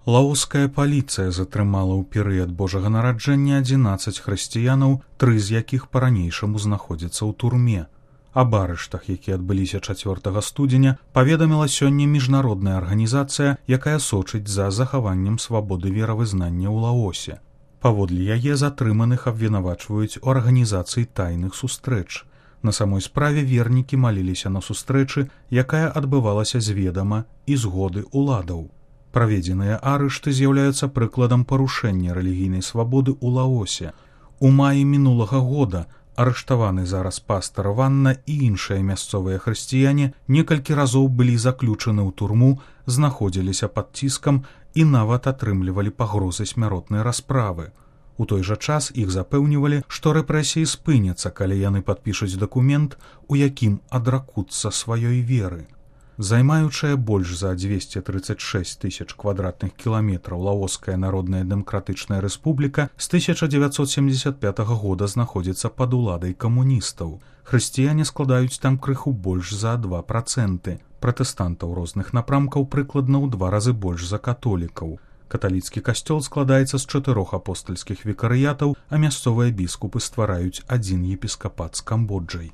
Лаоская паліцыя затрымала ў перыяд Божага нараджэння 11 хрысціянаў, 3 з якіх па-ранейшаму знаходзяцца ў турме. Аб арыштах, якія адбыліся 4 студзеня, паведаміла сёння міжнародная арганізацыя, якая сочыць за захаваннем свабоды веравызнання ў Лаосе. Паводле яе затрыманых абвінавачваюць у арганізацыі тайных сустрэч. На самой справе вернікі маліліся на сустрэчы, якая адбывалася зведама і згоды ўладаў. Праведзеныя арышты з'яўляюцца прыкладам парушэння рэлігійнай свабоды ў Лаосе. У маі мінулага года арыштаваны зараз пастар Ванна і іншыя мясцовыя хрысціяне некалькі разоў былі заключаны ў турму, знаходзіліся пад ціскам і нават атрымлівалі пагрозы смяротнай расправы. У той жа час іх запэўнівалі, што рэпрэсіі спыняцца, калі яны падпішуць дакумент, у якім адракуцца сваёй веры. Займаючая больш за 236 тысяч квадратных кіламетраў Лаоская Народная Дэмакратычная Рэспубліка з 1975 года знаходзіцца пад уладай камуністаў. Хрысціяне складаюць там крыху больш за 2%. Пратэстантаў розных напрамкаў прыкладна ў 2 разы больш за католікаў. Каталіцкі касцёл складаецца з 4 апостальскіх викарыятаў, а мясцовыя біскупы ствараюць 1 епіскапат з Камбоджай.